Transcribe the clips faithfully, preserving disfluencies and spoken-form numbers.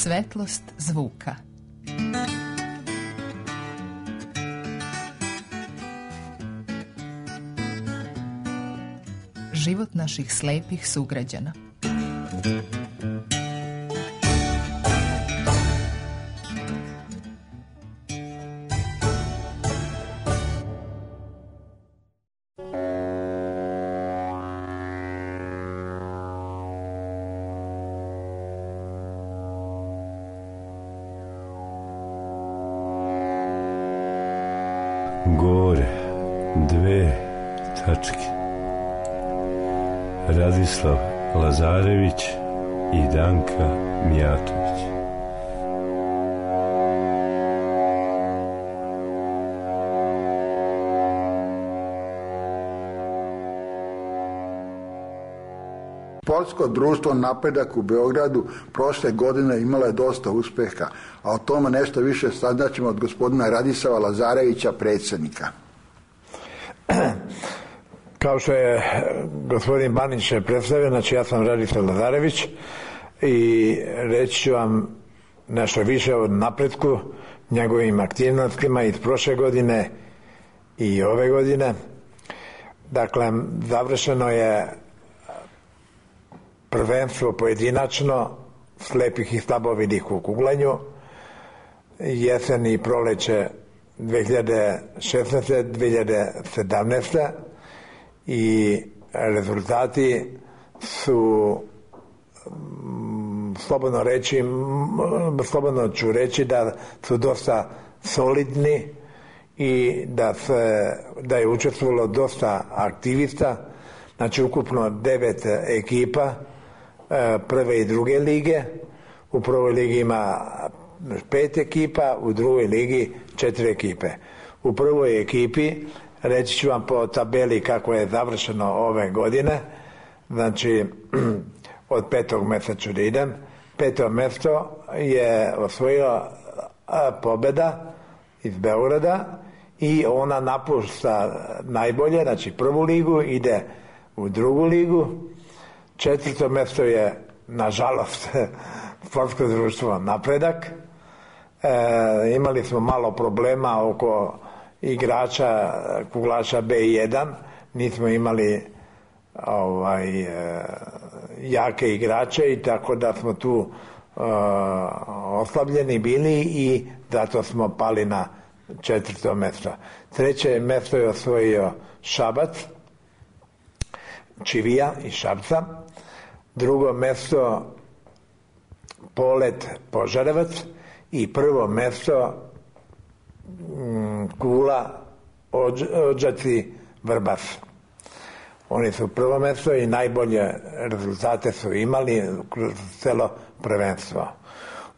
Svetlost zvuka. Život naših slepih sugrađana. Gore, dve tačke. Radislav Lazarević i Danka Mijatović. Sportsko društvo Napredak u Beogradu prošle godine imalo je dosta uspeha, a o tome nešto više saznaćemo od gospodina Radislava Lazarevića, predsjednika. Kao što je gospodin Banić predstavio, znači ja sam Radislav Lazarević i reći ću vam nešto više o napretku, njegovim aktivnostima iz prošle godine i ove godine. Dakle, završeno je prvenstvo pojedinačno slepih i slabovidih u kuglanju, jesen i proleće dve hiljade šesnaeste dve hiljade sedamnaeste i rezultati su, slobodno reći, slobodno ću reći da su dosta solidni i da, se, da je učestvovalo dosta aktivista, znači ukupno devet ekipa prve i druge lige. U prvoj ligi ima pet ekipa, u drugoj ligi četiri ekipe. U prvoj ekipi, reći ću vam po tabeli kako je završeno ove godine, znači od petog mjesta ću da idem. Peto mjesto je osvojila Pobeda iz Beograda i ona napušta najbolje, znači prvu ligu, ide u drugu ligu. Četvrto mjesto je, nažalost, sportsko društvo Napredak. E, imali smo malo problema oko igrača kuglaša be jedan, nismo imali ovaj, e, jake igrače i tako da smo tu e, oslabljeni bili i zato smo pali na četvrto mjesto. Treće mjesto je osvojio Šabac, Čivija iz Šapca. Drugo mjesto Polet Požarevac i prvo mjesto Kula Odžaci Vrbas. Oni su prvo mjesto i najbolje rezultate su imali kroz celo prvenstvo.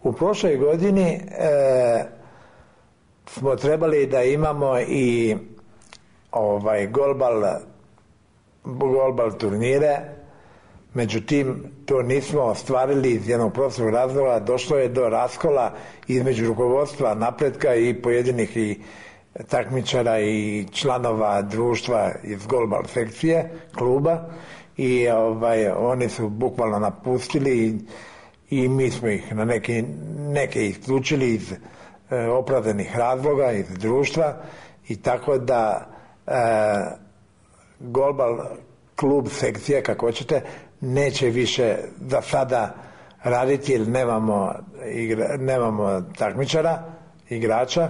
U prošloj godini e, smo trebali da imamo i ovaj golbal golbal turnire, međutim to nismo ostvarili iz jednog prostog razloga. Došlo je do raskola između rukovodstva Napretka i pojedinih i takmičara i članova društva iz golbal sekcije kluba i ovaj, oni su bukvalno napustili i, i mi smo ih na neki, neke isključili iz e, opravdanih razloga iz društva i tako da e, golbal klub sekcija, kako hoćete, neće više za sada raditi jer nemamo, igra, nemamo takmičara, igrača.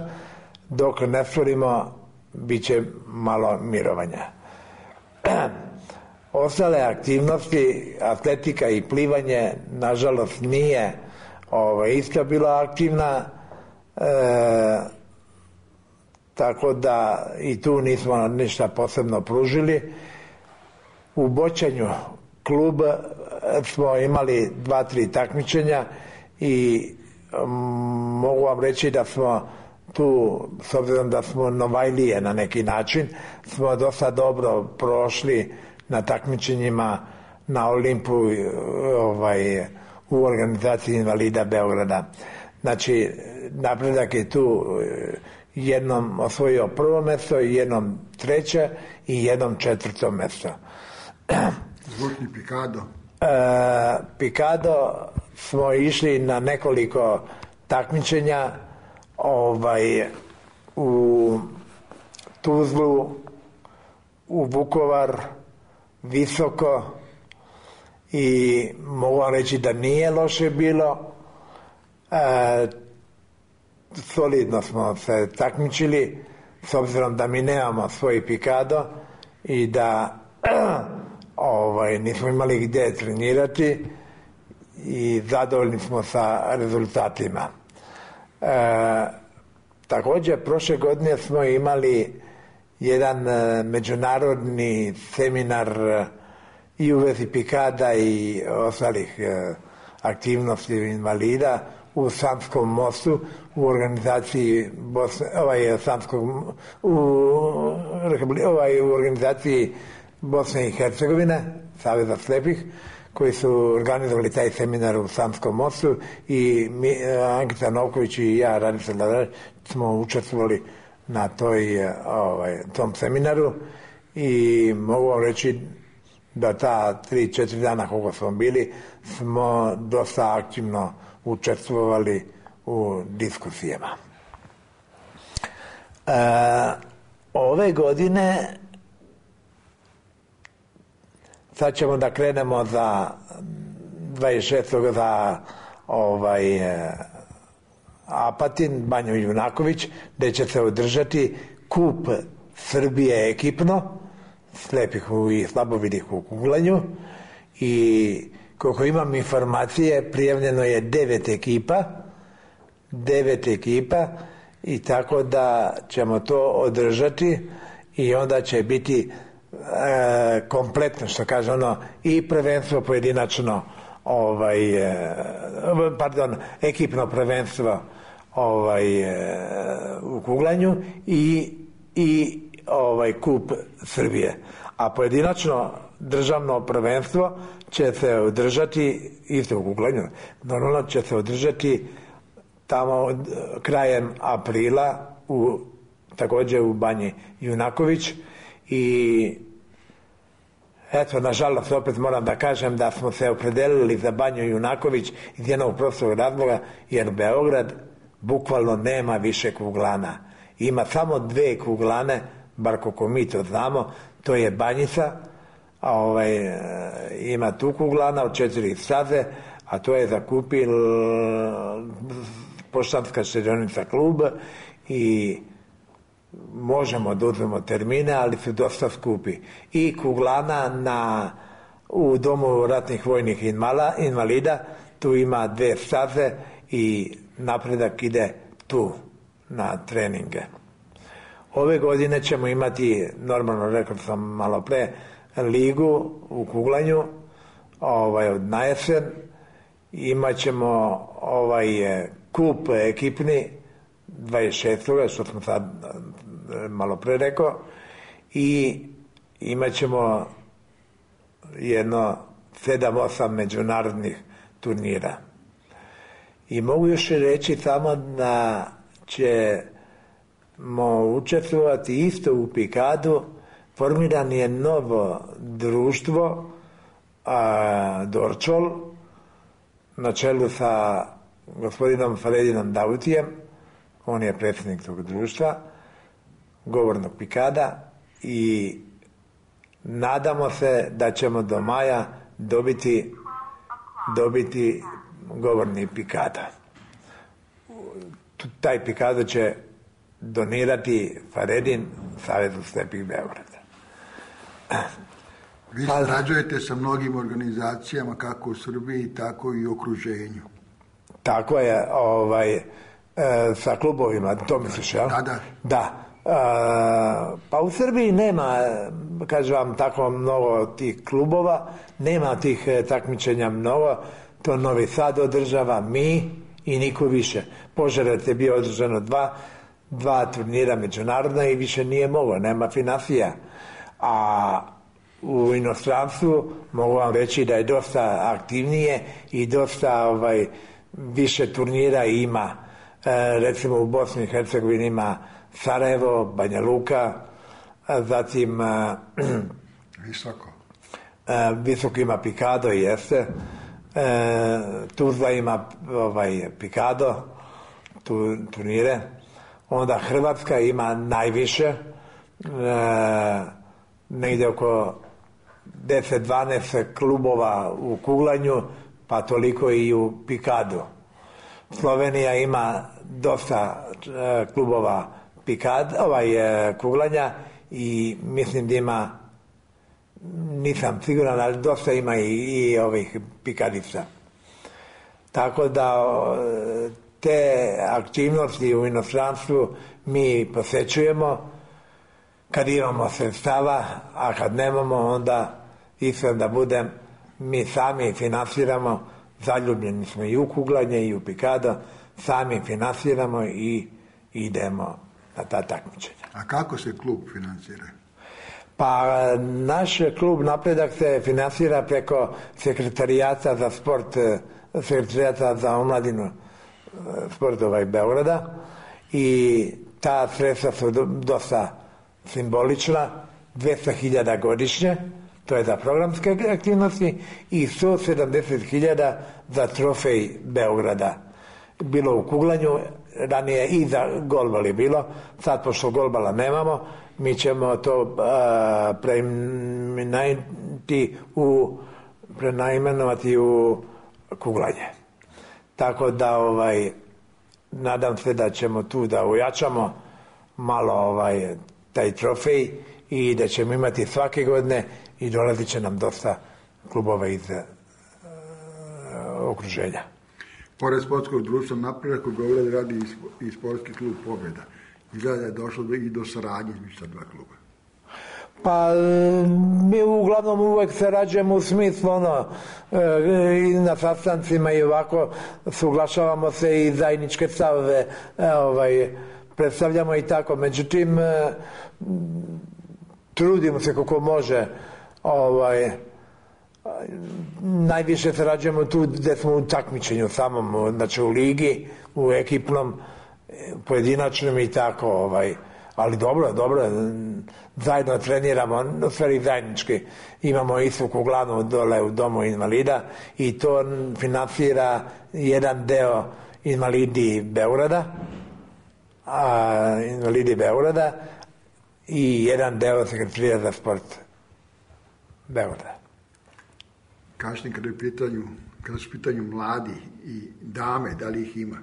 Dok ne stvorimo, bit će malo mirovanja. Ostale aktivnosti, atletika i plivanje, nažalost nije ovaj, isto bila aktivna, e, tako da i tu nismo ništa posebno pružili. U boćanju klub smo imali dva, tri takmičenja i um, mogu vam reći da smo tu, s obzirom da smo novajlije na neki način, smo dosta dobro prošli na takmičenjima na Olimpu ovaj, u organizaciji invalida Beograda. Znači, Napredak je tu jednom osvojio prvo mjesto, jednom treće i jednom četvrto mjesto. Zvučni Pikado. E, Pikado smo išli na nekoliko takmičenja ovaj, u Tuzlu, u Vukovar, Visoko, i mogu vam reći da nije loše bilo. E, solidno smo se takmičili, s obzirom da mi nemamo svoj pikado i da ovaj, nismo imali gdje trenirati, i zadovoljni smo sa rezultatima. E, također prošle godine smo imali jedan e, međunarodni seminar i u vezi pikada i ostalih e, aktivnosti invalida u Sanskom mostu u organizaciji Bosne, ovaj, Sanskog, u, ovaj, u organizaciji Bosne i Hercegovine, Saveza slepih, koji su organizovali taj seminar u Sanskom mostu, i mi, Ankita Novković i ja, Radica Lazareć, smo učestvovali na toj, ovaj, tom seminaru, i mogu vam reći da ta tri, četiri dana koliko smo bili, smo dosta aktivno učestvovali u diskusijama. E, ove godine sad ćemo da krenemo za dvadeset šestog za ovaj Apatin, Banju Junaković, gdje će se održati kup Srbije ekipno, slepih i slabovidih u kuglanju, i koliko imam informacije, prijavljeno je devet ekipa, devet ekipa, i tako da ćemo to održati, i onda će biti e, kompletno, što kaže ono, i prvenstvo pojedinačno, ovaj, e, pardon, ekipno prvenstvo ovaj, e, u kuglanju, i, i ovaj kup Srbije. A pojedinačno državno prvenstvo će se održati isto u kuglanju. Normalno će se održati tamo krajem aprila u, također u Banji Junaković, i eto, nažalost, opet moram da kažem da smo se opredelili za Banju Junaković iz jednog prostog razloga, jer Beograd bukvalno nema više kuglana. Ima samo dve kuglane, bar koliko mi to znamo, to je Banjica, a ovaj, ima tu kuglana od četiri staze, a to je zakupil Poštanska štedionica klub, i možemo da uzmemo termine, ali su dosta skupi. I kuglana na, u Domu ratnih vojnih invala, invalida, tu ima dve staze i napredak ide tu na treninge. Ove godine ćemo imati, normalno rekao sam malo pre, ligu u kuglanju, ovaj, od najesen. Imat ćemo ovaj kup ekipni dvadeset šestog što smo sad malo pre rekao, i imat ćemo jedno sedam osam međunarodnih turnira. I mogu još reći samo da ćemo učestvovati isto u pikadu. Formiran je novo društvo, a, Dorčol, na čelu sa gospodinom Faredinom Davutijem. On je predsjednik tog društva, govornog pikada, i nadamo se da ćemo do maja dobiti, dobiti govorni pikada. Taj pikada će donirati Faredin Savezu slepih Beograda. Vi sarađujete sa mnogim organizacijama, kako u Srbiji, tako i u okruženju. Tako je, ovaj, e, sa klubovima, to misliš, ja? Da, da. Da. E, pa u Srbiji nema, kažem vam, tako mnogo tih klubova, nema tih takmičenja mnogo, to Novi Sad održava, mi i niko više. Požarevac je bio održano dva, dva turnira međunarodna i više nije moglo, nema finansija. A u inostranstvu mogu vam reći da je dosta aktivnije i dosta ovaj, više turnira ima. E, recimo u Bosni i Hercegovini ima Sarajevo, Banja Luka, zatim Visoko. E, Visoko ima pikado, jeste. E, Tuzla ima ovaj, Pikado, tu, turnire. Onda Hrvatska ima najviše, e, negdje oko deset dvanaest klubova u kuglanju, pa toliko i u Pikadu. Slovenija ima dosta e, klubova pikad, ovaj, e, kuglanja i mislim da ima, nisam siguran, ali dosta ima i, i ovih pikadica. Tako da te aktivnosti u inostranstvu mi posjećujemo kad imamo sredstava, a kad nemamo onda iskren da budem, mi sami finansiramo, zaljubljeni smo i u kuglanje i u pikado, sami finansiramo i idemo na ta takmičenja. A kako se klub finansira? Pa naš klub Napredak se finansira preko sekretarijata za sport, sekretarijata za omladinu sportova i Beograda i ta sredstva su dosta simbolična, dvesta hiljada godišnje, to je za programske aktivnosti, i sto sedamdeset hiljada za trofej Beograda. Bilo u kuglanju, ranije i za golbal je bilo, sad pošto golbala nemamo, mi ćemo to a, preimenovati u, preimenovati u kuglanje. Tako da ovaj, nadam se da ćemo tu da ojačamo malo ovaj, taj trofej i da ćemo imati svake godine i dolazit će nam dosta klubova iz uh, okruženja. Pored sportskog društva Napredak u Beogradu radi i sportski klub Pobjeda. Izgleda da je došlo i do saradnje između sa dva kluba. Pa mi uglavnom uvek sarađujemo u smislu ono, i na sastancima i ovako suglašavamo se i zajedničke stavove ovaj, predstavljamo i tako. Međutim, trudimo se kako može, ovaj, najviše sarađujemo tu gde smo u takmičenju samom, znači u ligi, u ekipnom, pojedinačnom i tako, ovaj, ali dobro, dobro, zajedno treniramo, u stvari zajednički, imamo istu kuglanu dole u domu invalida i to finansira jedan deo invalidi Beograda, a, invalidi Beograda i jedan deo sekretarija za sport Beograda. Kažete, kada je pitanju, kada su pitanju mladi i dame, da li ih ima?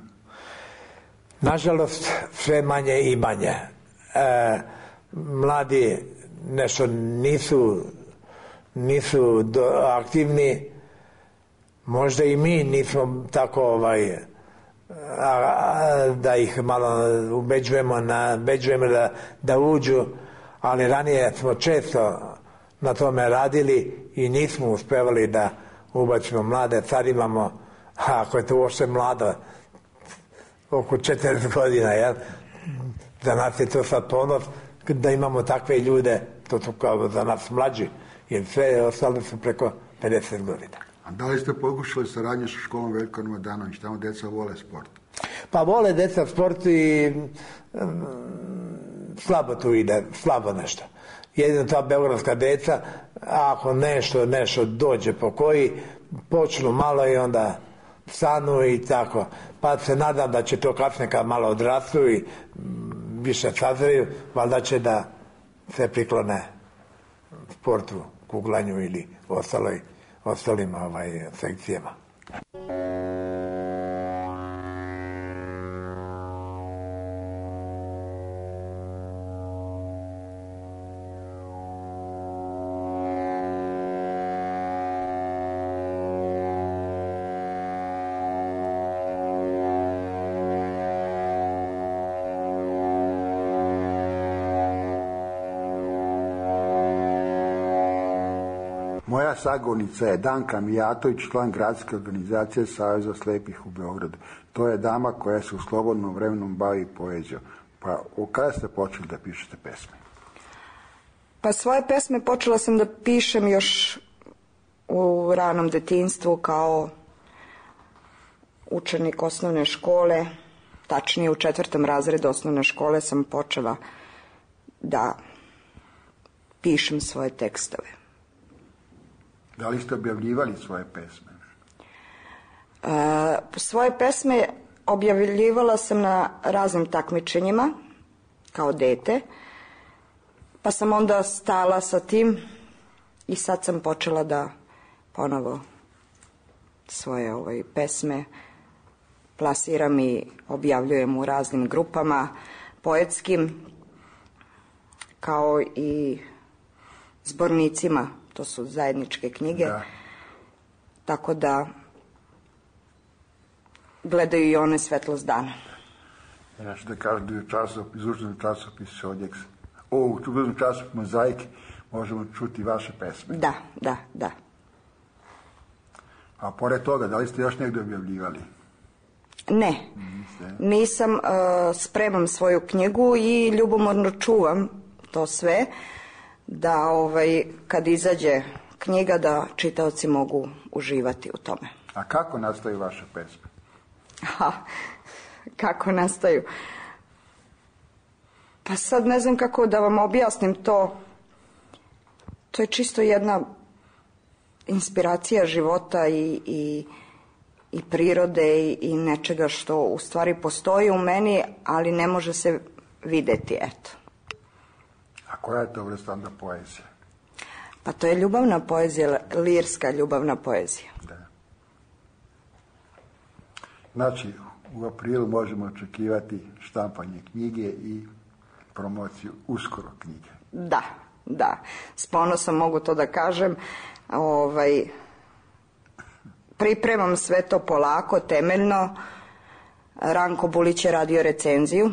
Nažalost, sve manje i manje. E, mladi nešto nisu, nisu do, aktivni, možda i mi nismo tako ovaj, a, a, da ih malo ubeđujemo, na, ubeđujemo da, da uđu, ali ranije smo često na tome radili i nismo uspevali da ubacimo mlade. Sad imamo, ako je to uopšte mlado, oko četrdeset godina, jel? Za nas je to sad ponos da imamo takve ljude, to su kao za nas mlađi, jer sve ostale su preko pedeset godina. A da li ste pokušali saradnje sa školom Veljko Radanović, tamo deca vole sport? Pa vole deca sport i um, slabo tu ide, slabo nešto. Jedino ta beogradska deca, ako nešto, nešto dođe po koji, počnu malo i onda stanu i tako. Pa se nadam da će to kasnije kad malo odrastu i više sazreju, valjda će da se priklone sportu, kuglanju ili ostaloj, ostalim ovaj, sekcijama. Moja sagovornica je Danka Mijatović, član gradske organizacije Saveza slepih u Beogradu. To je dama koja se u slobodnom vremenu bavi poezijom. Pa kada ste počeli da pišete pesme? Pa svoje pesme počela sam da pišem još u ranom detinjstvu kao učenik osnovne škole, tačnije u četvrtom razredu osnovne škole sam počela da pišem svoje tekstove. Da li ste objavljivali svoje pesme? E, svoje pesme objavljivala sam na raznim takmičenjima kao dete, pa sam onda stala sa tim i sad sam počela da ponovo svoje ovaj, pesme plasiram i objavljujem u raznim grupama poetskim, kao i zbornicima, to su zajedničke knjige, Da. tako da gledaju i one svetlost dana. Ja ću da kažem da je časopis, izlučen časopis Šodjeks. O, u čugodnom časopisu Mozaik možemo čuti vaše pesme. Da, da, da. A pored toga, da li ste još negdje objavljivali? Ne, Niste. nisam, uh, spremam svoju knjigu i ljubomorno čuvam to sve, da ovaj, kad izađe knjiga da čitaoci mogu uživati u tome. A kako nastaju vaše pesme? Ha, kako nastaju? Pa sad ne znam kako da vam objasnim to. To je čisto jedna inspiracija života i, i, i prirode i, i nečega što u stvari postoji u meni, ali ne može se videti, eto. A koja je to vrsta onda poezija? Pa to je ljubavna poezija, lirska ljubavna poezija. Da. Znači, u aprilu možemo očekivati štampanje knjige i promociju uskoro knjige. Da, da. S ponosom mogu to da kažem. Ovaj, pripremam sve to polako, temeljno. Ranko Bulić je radio recenziju.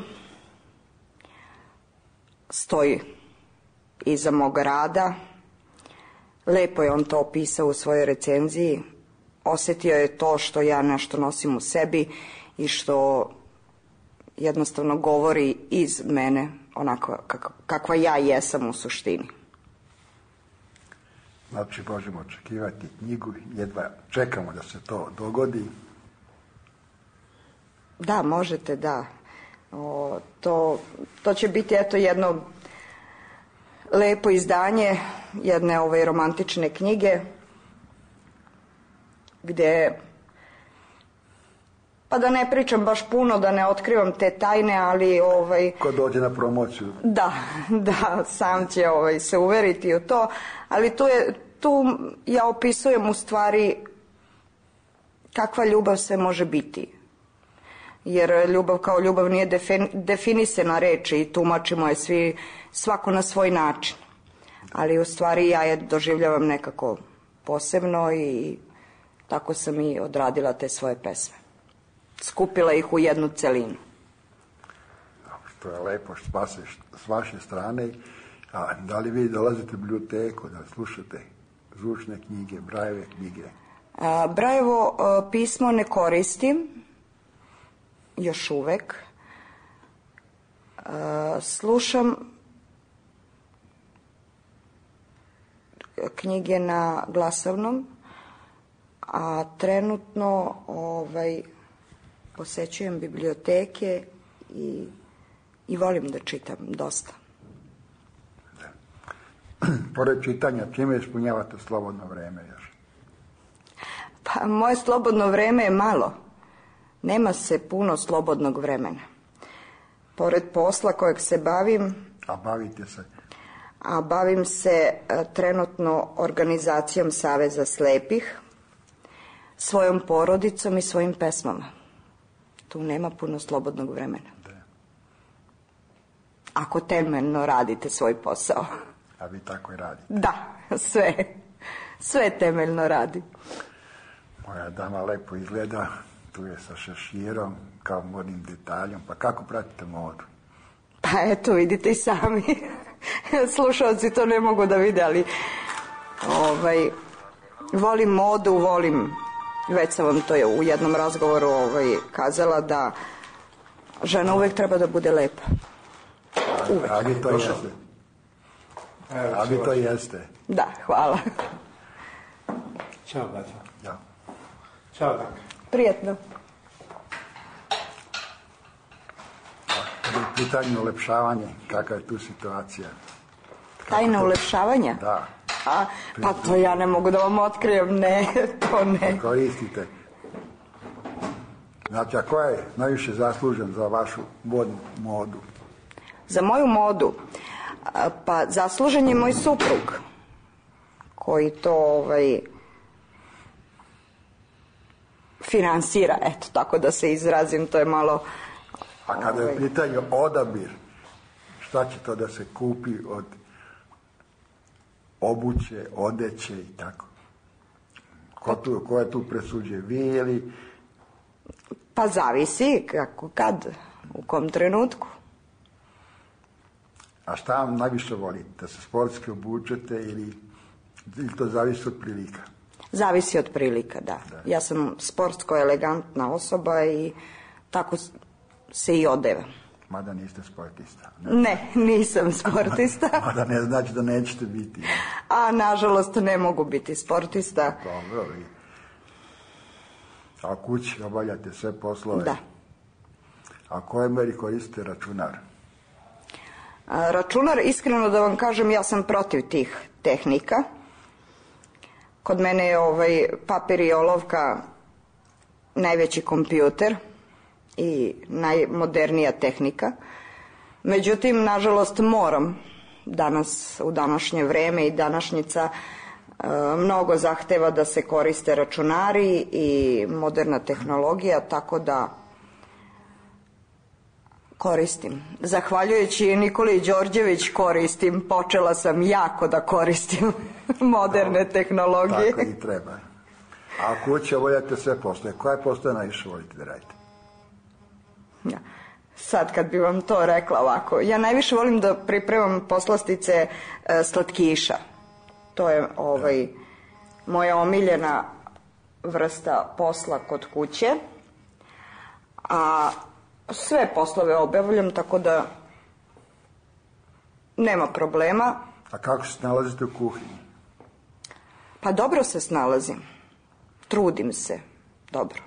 Stoji iza mog rada. Lepo je on to opisao u svojoj recenziji. Osjetio je to što ja nešto nosim u sebi i što jednostavno govori iz mene onako kakva ja jesam u suštini. Znači, možemo očekivati knjigu, jedva čekamo da se to dogodi. Da, možete, da. O, to, to će biti eto jedno lepo izdanje jedne ove romantične knjige gdje, pa da ne pričam baš puno, da ne otkrivam te tajne, ali ovaj... Ko dođe na promociju? Da, da, sam će ovaj, se uveriti u to, ali tu, je, tu ja opisujem u stvari kakva ljubav sve može biti. Jer ljubav kao ljubav nije defin, definisana reč i tumačimo je svi, svako na svoj način. Ali u stvari ja je doživljavam nekako posebno i tako sam i odradila te svoje pesme. Skupila ih u jednu celinu. To je lepo s vaše strane. A da li vi dolazite u biblioteku da slušate zvučne knjige, Brajeve knjige? A, Brajevo a, pismo ne koristim još uvek. A, slušam knjige na glasovnom, a trenutno ovaj, posećujem biblioteke i, i volim da čitam dosta. Pored čitanja, čime ispunjavate slobodno vreme još? Pa moje slobodno vreme je malo. Nema se puno slobodnog vremena. Pored posla kojeg se bavim... A bavite se? A bavim se a, trenutno organizacijom Saveza slepih, svojom porodicom i svojim pesmama. Tu nema puno slobodnog vremena. Da. Ako temeljno radite svoj posao. A vi tako i radite? Da, sve. Sve temeljno radi. Moja dama lepo izgleda, tu je sa šeširom, kao modnim detaljom. Pa kako pratite modu? Pa eto, vidite i sami. Slušalci to ne mogu da vide, ali ovaj, volim modu, volim, već sam vam to je u jednom razgovoru ovaj, kazala, da žena uvek treba da bude lepa. Uvek. A vi to jeste? A vi to jeste? Da, hvala. Ćao, braćo. Ja. Ćao, Danka. Prijetno. Kada je u pitanju ulepšavanje, kakva je tu situacija? Tajna ulepšavanja? Da. A, pa to ja ne mogu da vam otkrijem, ne, to ne. Koristite? Znači, a ko je najviše zaslužen za vašu modnu modu? Za moju modu? A, pa zaslužen je moj suprug, koji to ovaj, finansira, eto, tako da se izrazim, to je malo... A kada je u pitanju odabir, šta će to da se kupi od obuće, odeće i tako? Ko, tu, ko je tu presuđuje? Vi ili... Pa zavisi kako, kad, u kom trenutku. A šta vam najviše volite? Da se sportski obučete ili, ili to zavisi od prilika? Zavisi od prilika, da. da. Ja sam sportsko elegantna osoba i tako se i odevam. Mada niste sportista. Ne, ne nisam sportista. Mada ne znači da nećete biti. A nažalost ne mogu biti sportista. Dobro, vi. A kući obavljate sve poslove? Da. A koje meri koristite računar? A, računar, iskreno da vam kažem, ja sam protiv tih tehnika. Kod mene je ovaj papir i olovka najveći kompjuter i najmodernija tehnika. Međutim, nažalost, moram danas, u današnje vreme i današnjica, mnogo zahteva da se koriste računari i moderna tehnologija, tako da koristim. Zahvaljujući Nikoli Đorđević koristim, počela sam jako da koristim moderne no, tehnologije. Tako i treba. A kuće voljate sve postoje. Koje postoje najviše volite da radite? Ja. Sad kad bi vam to rekla ovako, ja najviše volim da pripremam poslastice e, slatkiša. To je ovaj, moja omiljena vrsta posla kod kuće. A sve poslove obavljam, tako da nema problema. A kako se nalazite u kuhinji? Pa dobro se snalazim. Trudim se. Dobro.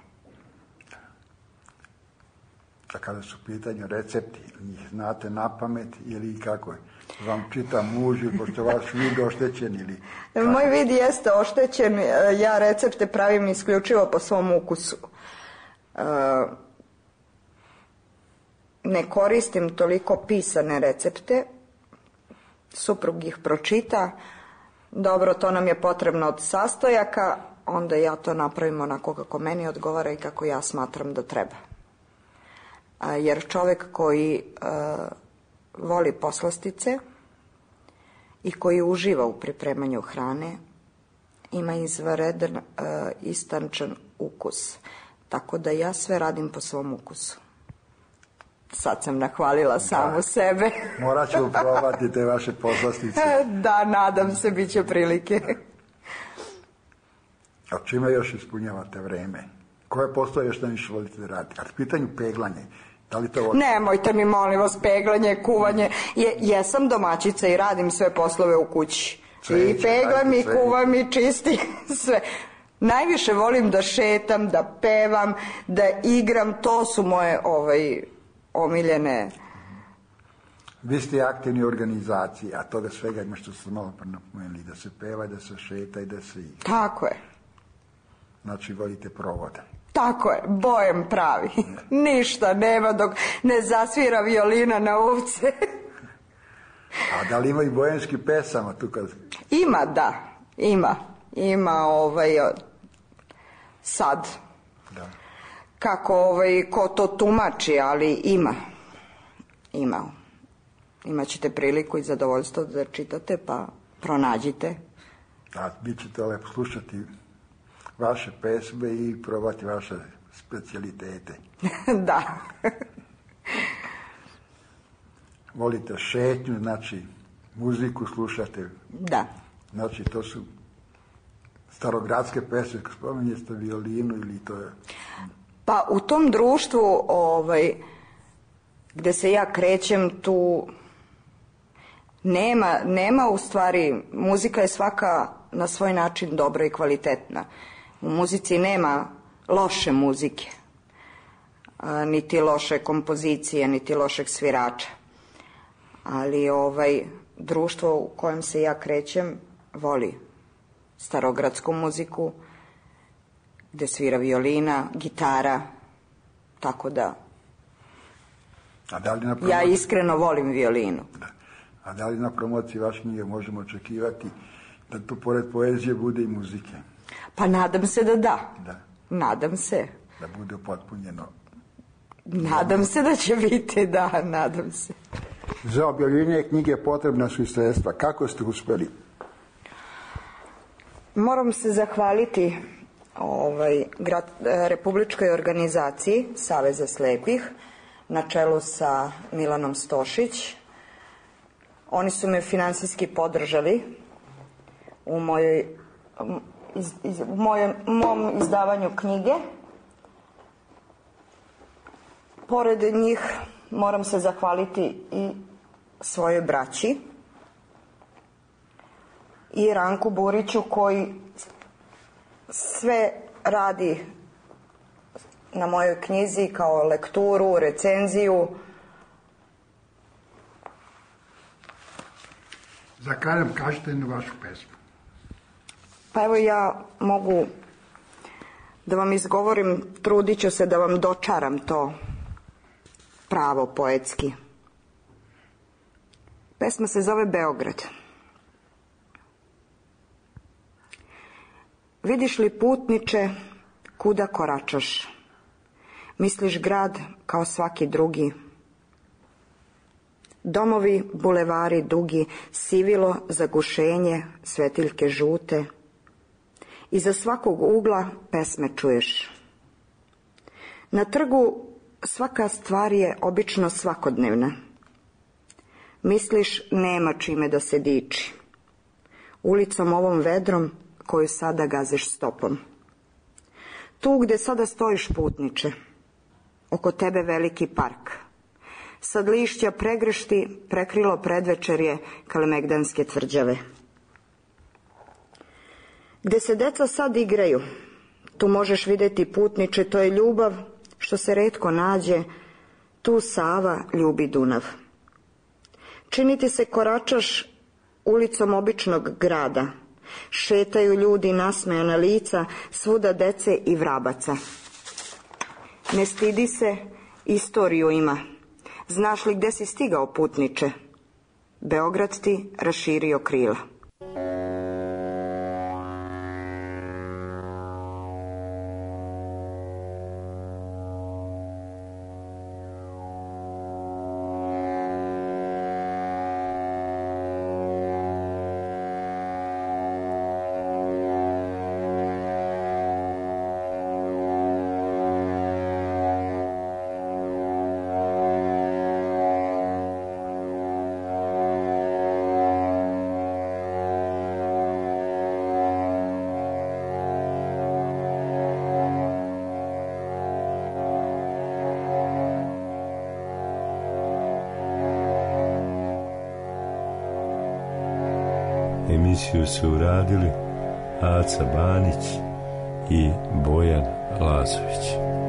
A kada su u pitanju recepti, njih znate na pamet ili kako je? Vam čita muž ili pošto vaš vid oštećen ili... Kako? Moj vid jeste oštećen, ja recepte pravim isključivo po svom ukusu. Ne koristim toliko pisane recepte, suprug ih pročita, dobro, to nam je potrebno od sastojaka, onda ja to napravim onako kako meni odgovara i kako ja smatram da treba. Jer čovjek koji uh, voli poslastice i koji uživa u pripremanju hrane ima izvanredan uh, istančan ukus. Tako da ja sve radim po svom ukusu. Sad sam nahvalila da. Samu sebe. Morat ću probati te vaše poslastice. Da, nadam se, bit će prilike. A čime još ispunjavate vreme? Koje postoje još najviše volite da radite? Kad pitanju peglanje, da li to... Nemojte mi, molim vas, peglanje, kuvanje. Je, jesam domaćica i radim sve poslove u kući. Cveće, i peglam, i kuvam, i čistim, sve. Najviše volim da šetam, da pevam, da igram, to su moje ovaj, omiljene... Vi ste aktivni u organizaciji, a toga svega ima što ste malo napomenuli, da se peva, da se šeta i da se igra. Tako je. Znači, volite provode. Tako je, bojem pravi. Ništa nema dok ne zasvira violina na uvce. A da li ima i bojanski pesama tu kad... Ima, da, ima. Ima ovaj, sad. Da. Kako ovaj, ko to tumači, ali ima. Ima. Imaćete priliku i zadovoljstvo da čitate, pa pronađite. A vi ćete lepo slušati vaše pesme i probati vaše specijalitete. Da. Volite šetnju, znači muziku slušate. Da. Znači to su starogradske pesme, kako spominjete violinu ili to je... Pa u tom društvu ovaj, gde se ja krećem, tu nema, nema u stvari, muzika je svaka na svoj način dobra i kvalitetna. U muzici nema loše muzike, a, niti loše kompozicije, niti lošeg svirača. Ali ovaj, društvo u kojem se ja krećem voli starogradsku muziku, gde svira violina, gitara, Tako da, A da li na promociji, ja iskreno volim violinu. da. A da li na promociji vaše knjige možemo očekivati da tu pored poezije bude i muzike? Pa nadam se da da. Da. Nadam se. Da bude upotpunjeno. Nadam se da će biti, da, nadam se. Za objavljivanje knjige potrebna su i sredstva. Kako ste uspeli? Moram se zahvaliti ovaj, grad, Republičkoj organizaciji Saveza slepih na čelu sa Milanom Stošić. Oni su me finansijski podržali u mojoj, iz, iz, u mojem, mom izdavanju knjige. Pored njih moram se zahvaliti i svojoj braći i Ranku Buriću koji sve radi na mojoj knjizi kao lekturu, recenziju. Za kraj nam kažete na vašu pesmu. Pa evo ja mogu da vam izgovorim, trudit ću se da vam dočaram to pravo poetski. Pesma se zove Beograd. Vidiš li putniče, kuda koračaš? Misliš grad kao svaki drugi? Domovi, bulevari dugi, sivilo, zagušenje, svetiljke žute. Iza svakog ugla pesme čuješ. Na trgu svaka stvar je obično svakodnevna. Misliš nema čime da se diči. Ulicom ovom vedrom koju sada gaziš stopom. Tu gde sada stojiš putniče, oko tebe veliki park. Sad lišća pregršti prekrilo predvečerje Kalemegdanske tvrđave. Gde se deca sad igraju, tu možeš vidjeti putniče, to je ljubav što se retko nađe, tu Sava ljubi Dunav. Činiti se koračaš ulicom običnog grada, šetaju ljudi nasmejana lica, svuda dece i vrabaca. Ne stidi se, istoriju ima. Znaš li gde si stigao putniče? Beograd ti raširio krila. Emisiju su uradili Aca Banić i Bojan Lazović.